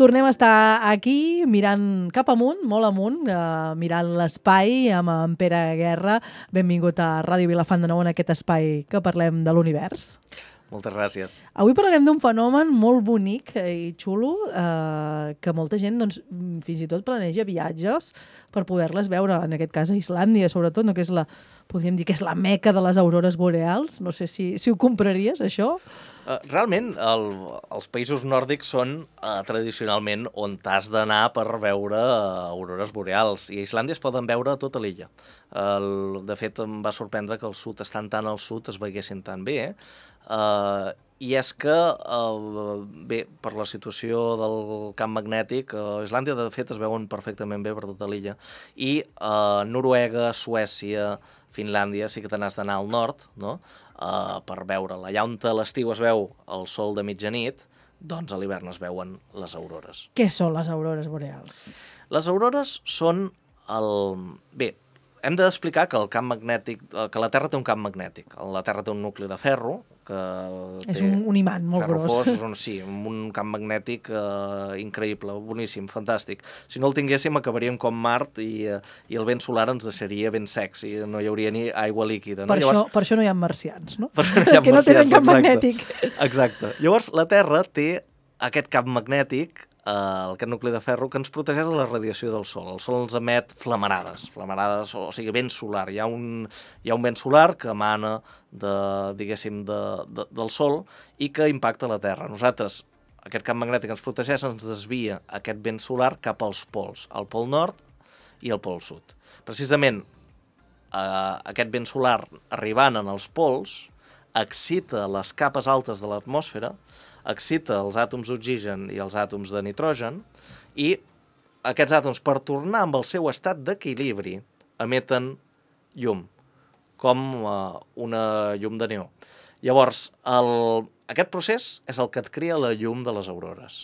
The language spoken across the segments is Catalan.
tornem a estar aquí mirant cap amunt, molt amunt, mirant l'espai amb en Pere Guerra. Benvingut a Ràdio Vilafant de nou en aquest espai que parlem de l'univers. Moltes gràcies. Avui parlarem d'un fenomen molt bonic i xulo que molta gent doncs, fins i tot planeja viatges per poder-les veure, en aquest cas a Islàndia, sobretot, no? Que és podríem dir que és la meca de les aurores boreals. No sé si ho compraries, això. Realment, els països nòrdics són tradicionalment on t'has d'anar per veure aurores boreals. I a Islàndia es poden veure a tota l'illa. De fet, em va sorprendre que al sud, estant tan al sud, es veiessin tan bé. I és que, bé, per la situació del camp magnètic, a Islàndia, de fet, es veuen perfectament bé per tota l'illa. I Noruega, Suècia, Finlàndia, sí que te n'has d'anar al nord, no?, per veure-la. Allà on a l'estiu es veu el sol de mitjanit, doncs a l'hivern es veuen les aurores. Què són les aurores boreals? Les aurores són Bé, hem d'explicar que el camp magnètic, que la Terra té un camp magnètic. La Terra té un nucli de ferro, que és un imant molt gros. Sí, amb un camp magnètic increïble, boníssim, fantàstic. Si no el tinguéssim acabaríem com Mart i el vent solar ens deixaria ben secs i no hi hauria ni aigua líquida. No? Per això no hi ha marcians, no? Per això no hi ha que no tenen camp magnètic. magnètic. Exacte. Llavors la Terra té aquest camp magnètic, aquest nucli de ferro, que ens protegeix de la radiació del Sol. El Sol ens emet flamarades, o sigui, vent solar. Hi ha un vent solar que emana del Sol i que impacta la Terra. Nosaltres, aquest camp magnètic ens protegeix, ens desvia aquest vent solar cap als pols, al pol nord i al pol sud. Precisament, aquest vent solar arribant en els pols excita les capes altes de l'atmosfera, excita els àtoms d'oxigen i els àtoms de nitrogen i aquests àtoms, per tornar amb el seu estat d'equilibri, emeten llum, com una llum de neó. Llavors, aquest procés és el que et crea la llum de les aurores.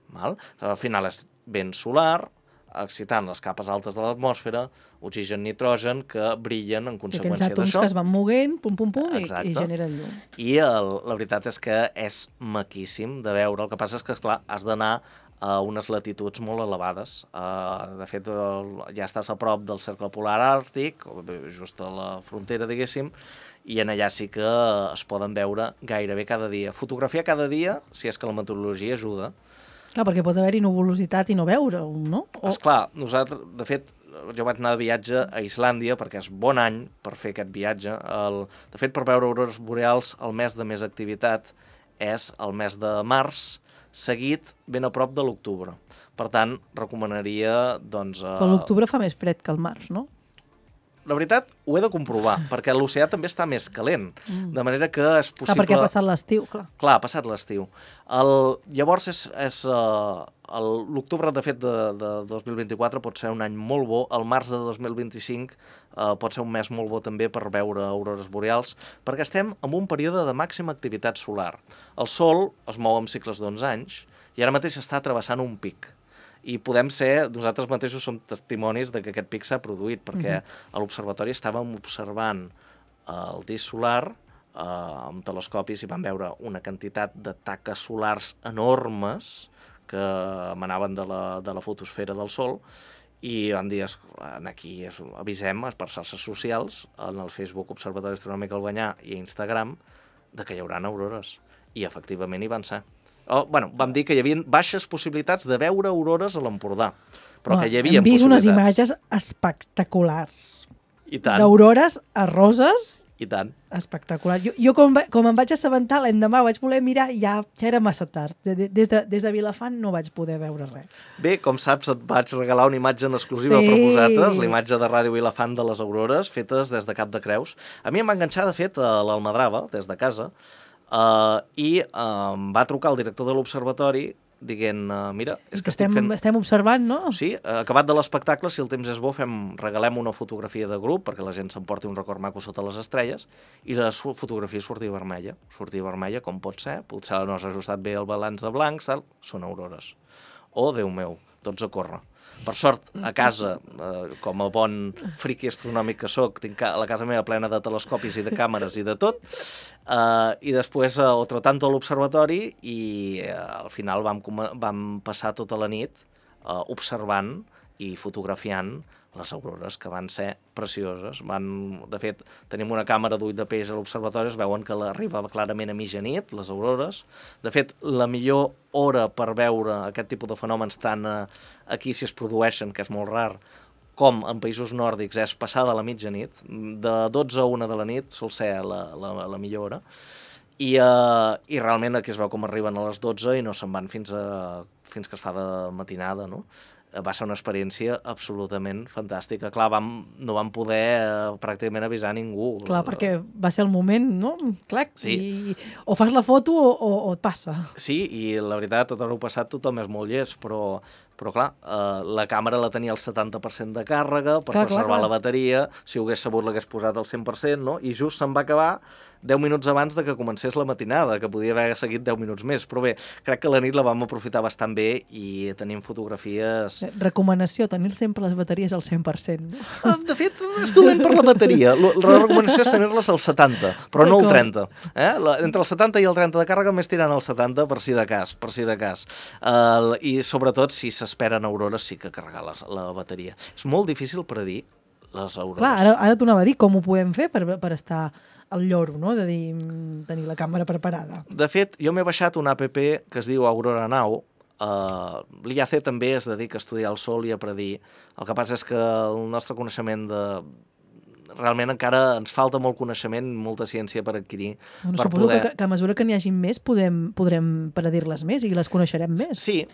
Val? Al final és vent solar, excitant les capes altes de l'atmosfera, oxigen, nitrogen, que brillen en conseqüència d'això. Aquells àtoms que es van moguent, i generen llum. I la veritat és que és maquíssim de veure. El que passa és que, esclar, has d'anar a unes latituds molt elevades. De fet, ja estàs a prop del cercle polar àrtic, just a la frontera, diguéssim, i en allà sí que es poden veure gairebé cada dia. Fotografiar cada dia, si és que la meteorologia ajuda. Clar, perquè pot haver-hi nuvolositat i no veure-ho, no? Esclar, nosaltres, de fet, jo vaig anar de viatge a Islàndia perquè és bon any per fer aquest viatge. De fet, per veure aurores boreals, el mes de més activitat és el mes de març, seguit ben a prop de l'octubre. Per tant, recomanaria, doncs... Però l'octubre fa més fred que el març, no? La veritat, ho he de comprovar, perquè l'oceà també està més calent, de manera que és possible... Clar, perquè ha passat l'estiu, clar. Clar, ha passat l'estiu. Llavors, l'octubre, de fet, de 2024 pot ser un any molt bo, el març de 2025 pot ser un mes molt bo també per veure aurores boreals, perquè estem en un període de màxima activitat solar. El Sol es mou en cicles d'11 anys i ara mateix està travessant un pic. I nosaltres mateixos som testimonis de que aquest pic s'ha produït, perquè a l'observatori estàvem observant el disc solar amb telescopis i vam veure una quantitat de taques solars enormes que emanaven de la fotosfera del Sol i vam dir, aquí avisem per xarxes socials, en el Facebook Observatori Astronòmic Albanyà i a Instagram, de que hi haurà aurores. I efectivament hi van ser. Vam dir que hi havia baixes possibilitats de veure aurores a l'Empordà, però que hi havia possibilitats. Hem vist unes imatges espectaculars. I tant. D'aurores a roses. I tant. Espectacular. Jo com em vaig assabentar l'endemà, vaig voler mirar, ja era massa tard. Des de Vilafant no vaig poder veure res. Bé, com saps, et vaig regalar una imatge en exclusiva per vosaltres, la imatge de Ràdio Vilafant de les aurores, fetes des de Cap de Creus. A mi em va enganxar, de fet, a l'Almadrava, des de casa, i em va trucar el director de l'observatori dient, mira, és que estic fent... Estem observant, no? Sí, acabat de l'espectacle, si el temps és bo, regalem una fotografia de grup perquè la gent s'emporti un record maco sota les estrelles i la fotografia sortia vermella. Sortia vermella, com pot ser? Potser no s'ha ajustat bé el balanç de blancs, són aurores. Oh, Déu meu, tots a córrer. Per sort, a casa, com a bon friqui astronòmic que soc, tinc la casa meva plena de telescopis i de càmeres i de tot, i després otro tanto a l'observatori i al final vam passar tota la nit observant i fotografiant les aurores, que van ser precioses. De fet, tenim una càmera d'ull de peix a l'observatori, es veuen que arriba clarament a mitjanit, les aurores. De fet, la millor hora per veure aquest tipus de fenòmens, tant aquí si es produeixen, que és molt rar, com en països nòrdics, és passada la mitjanit. De 12 a 1 de la nit sol ser la millor hora. I realment aquí es veu com arriben a les 12 i no se'n van fins que es fa de matinada, no? Va ser una experiència absolutament fantàstica. Clar, no vam poder pràcticament avisar ningú. Clar, perquè va ser el moment, no? Clar, sí. O fas la foto o et passa. Sí, i la veritat, tot l'heu passat, tothom és molt llest, però clar, la càmera la tenia al 70% de càrrega per preservar la bateria. Si ho hagués sabut l'hagués posat al 100%, no? I just se'n va acabar 10 minuts abans de que comencés la matinada, que podia haver seguit 10 minuts més. Però bé, crec que la nit la vam aprofitar bastant bé i tenim fotografies... Recomanació, tenir sempre les bateries al 100%. No? De fet, és dolent per la bateria. La recomanació és tenir-les al 70, però no al 30. Entre el 70 i el 30 de càrrega, més tirant al 70 per si de cas. I sobretot, si s'esperen aurores, sí que carregar la bateria. És molt difícil predir les aurores. Clar, ara t'ho anava a dir, com ho podem fer per estar al lloro, no? De dir, tenir la càmera preparada. De fet, jo m'he baixat una app que es diu Aurora Now. L'IAC també es dedica a estudiar el sol i a predir. El que passa és que el nostre coneixement realment encara ens falta molt coneixement, molta ciència per adquirir. Bueno, suposo que a mesura que n'hi hagi més podrem predir-les més i les coneixerem més. Sí,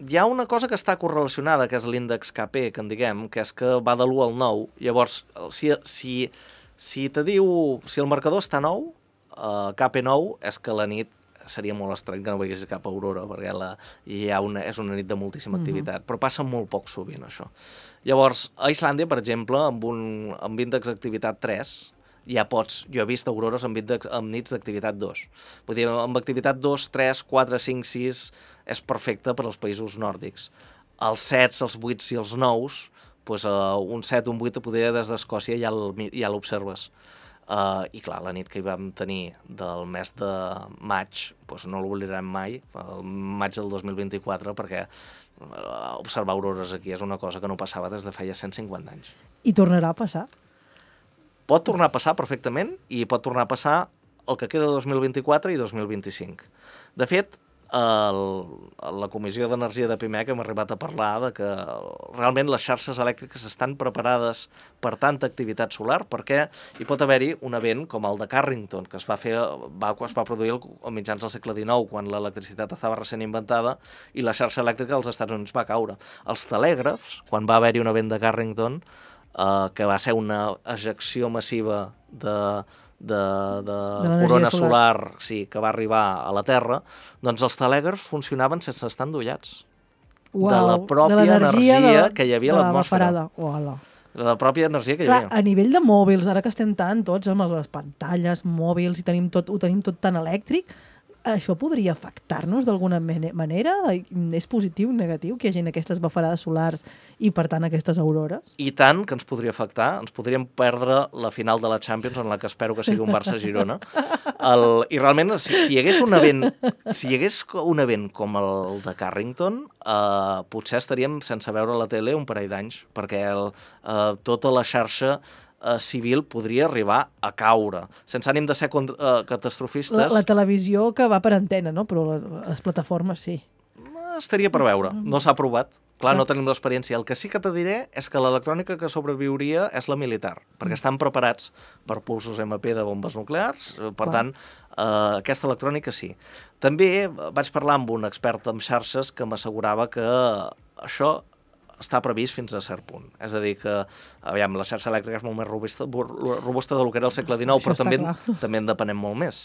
hi ha una cosa que està correlacionada, que és l'índex KP, que en diguem, que és que va de l'1 al 9. Llavors, si el marcador està 9, KP9, és que la nit seria molt estrany que no veiés cap aurora, perquè és una nit de moltíssima activitat, però passa molt poc sovint, això. Llavors, a Islàndia, per exemple, amb índex d'activitat 3, jo he vist aurores amb nits d'activitat 2. Vull dir, amb activitat 2, 3, 4, 5, 6 és perfecte per als països nòrdics. Els 7, els 8 i els 9, doncs un 7, un 8, poder des d'Escòcia ja l'observes. I clar, la nit que hi vam tenir del mes de maig, doncs no l'oblidarem mai, el maig del 2024, perquè observar aurores aquí és una cosa que no passava des de feia 150 anys. I tornarà a passar? Pot tornar a passar perfectament i pot tornar a passar el que queda de 2024 i 2025. De fet, la Comissió d'Energia de Pimec hem arribat a parlar de que realment les xarxes elèctriques estan preparades per tanta activitat solar perquè hi pot haver-hi un event com el de Carrington, que es va produir a mitjans del segle XIX, quan l'electricitat estava recent inventada i la xarxa elèctrica dels Estats Units va caure. Els telègrafs, quan va haver-hi un event de Carrington, que va ser una ejecció massiva de corona solar que va arribar a la Terra, doncs els telègrafs funcionaven sense estar endollats. De la pròpia energia que hi havia a l'atmosfera. De la pròpia energia que hi havia. A nivell de mòbils, ara que estem tots amb les pantalles, mòbils, i ho tenim tot tan elèctric, això podria afectar-nos d'alguna manera? És positiu o negatiu que hi hagi aquestes bafarades solars i, per tant, aquestes aurores? I tant que ens podria afectar. Ens podríem perdre la final de la Champions, en la que espero que sigui un Barça-Girona. I realment, si hi hagués un event com el de Carrington, potser estaríem sense veure la tele un parell d'anys, perquè tota la xarxa civil podria arribar a caure, sense ànim de ser catastrofistes. La televisió que va per antena, no? Però les plataformes sí. Estaria per veure, no s'ha provat. Clar, no tenim l'experiència. El que sí que te diré és que l'electrònica que sobreviuria és la militar, perquè estan preparats per pulsos MP de bombes nuclears, per tant, aquesta electrònica sí. També vaig parlar amb un expert en xarxes que m'assegurava que això està previst fins a cert punt. És a dir que, aviam, la xarxa elèctrica és molt més robusta del que era el segle XIX, però també en depenem molt més.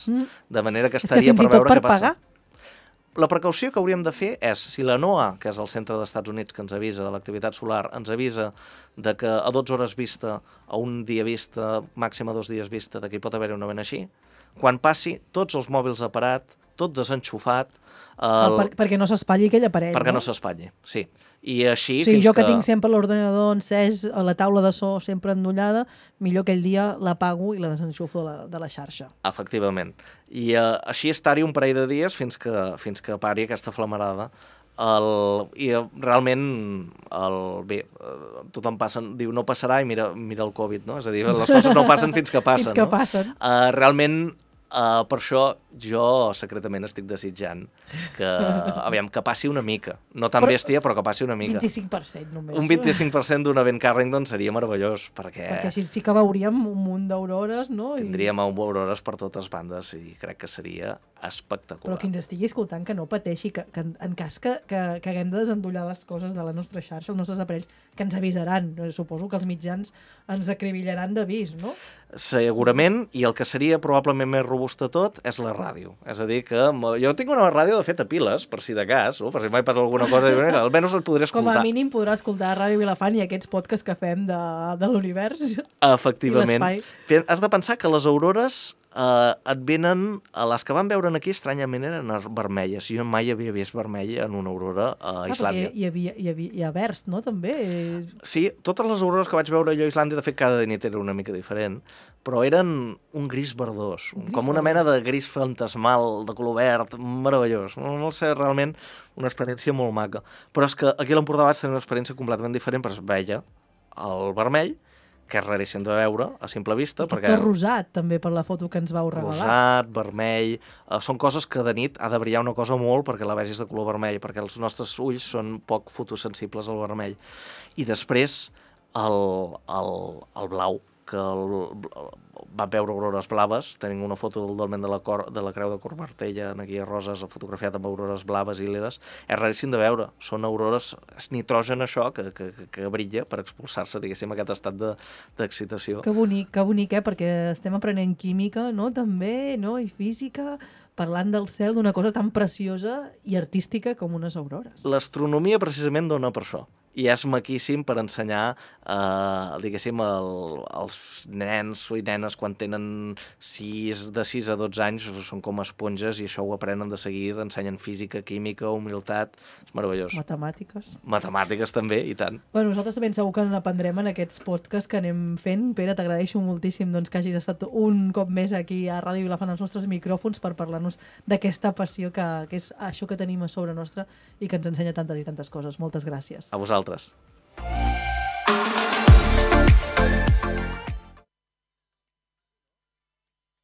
De manera que estaria per veure què passa. La precaució que hauríem de fer és, si la NOAA, que és el centre dels Estats Units que ens avisa de l'activitat solar, ens avisa de que a 12 hores vista, a un dia vista, màxim a 2 dies vista, de que hi pot haver un event així, quan passi, tots els mòbils a parat, tot desenxufat. Perquè no s'espatlli aquell aparell, perquè no? no s'espatlli, sí. I així Sí, jo que tinc sempre l'ordenador encès, a la taula de so sempre endollada, millor aquell dia l'apago i la desenxufo de la xarxa. Efectivament. I així estar-hi un parell de dies fins que pari aquesta flamarada. I realment bé, tothom diu no passarà i mira el Covid, no? És a dir, les coses no passen fins que passen. Fins que passen. Realment, per això jo secretament estic desitjant que passi una mica. No tan bèstia, però que passi una mica. 25% només. Un 25% d'un event Carrington seria meravellós, perquè així sí que veuríem un munt d'aurores, no? Tindríem aurores per totes bandes i crec que seria espectacular. Però qui ens estigui escoltant que no pateixi, que en cas que haguem de desendollar les coses de la nostra xarxa, els nostres aparells, que ens avisaran. Suposo que els mitjans ens acribillaran d'avís, no? Segurament, i el que seria probablement més robust de tot és la ràdio. És a dir, que jo tinc una ràdio, de fet, a piles, per si de cas, per si mai passa alguna cosa, almenys el podré escoltar. Com a mínim podrà escoltar Ràdio Vilafant i aquests podcasts que fem de l'univers. Efectivament. I l'espai. Has de pensar que les aurores et venen, les que van veure aquí estranyament eren vermelles. Jo mai havia vist vermell en una aurora a Islàndia. Hi ha verd, no? També. Sí, totes les aurores que vaig veure jo a Islàndia, de fet cada nit era una mica diferent, però eren un gris verdós, com una mena de gris fantasmal, de color verd, meravellós. No sé, realment una experiència molt maca. Però és que aquí a l'Empordà vaig tenir una experiència completament diferent, però es veia el vermell, que és raríssim de veure a simple vista. Perquè... tot rosat, també, per la foto que ens vau regalar. Rosat, vermell... són coses que de nit ha de brillar una cosa molt perquè la vegis de color vermell, perquè els nostres ulls són poc fotosensibles al vermell. I després el blau, que va veure aurores blaves. Tenim una foto del dolmen de la Creu de Cormartella, aquí a Roses, fotografiat amb aurores blaves i liles. És raríssim de veure. Són aurores, és nitrogen això, que brilla per expulsar-se, diguéssim, aquest estat d'excitació. Que bonic, perquè estem aprenent química, no?, també, no?, i física, parlant del cel, d'una cosa tan preciosa i artística com unes aurores. L'astronomia precisament dona per això. I és maquíssim per ensenyar, diguéssim, als nens i nenes quan tenen de 6 a 12 anys, són com esponges i això ho aprenen de seguida, ensenyen física, química, humilitat, és meravellós. Matemàtiques. Matemàtiques també, i tant. Bueno, nosaltres ben segur que n'aprendrem en aquests podcasts que anem fent. Pere, t'agraeixo moltíssim que hagis estat un cop més aquí a Ràdio Vilafant als nostres micròfons per parlar-nos d'aquesta passió que és això que tenim a sobre nostra i que ens ensenya tantes i tantes coses. Moltes gràcies. A vosaltres.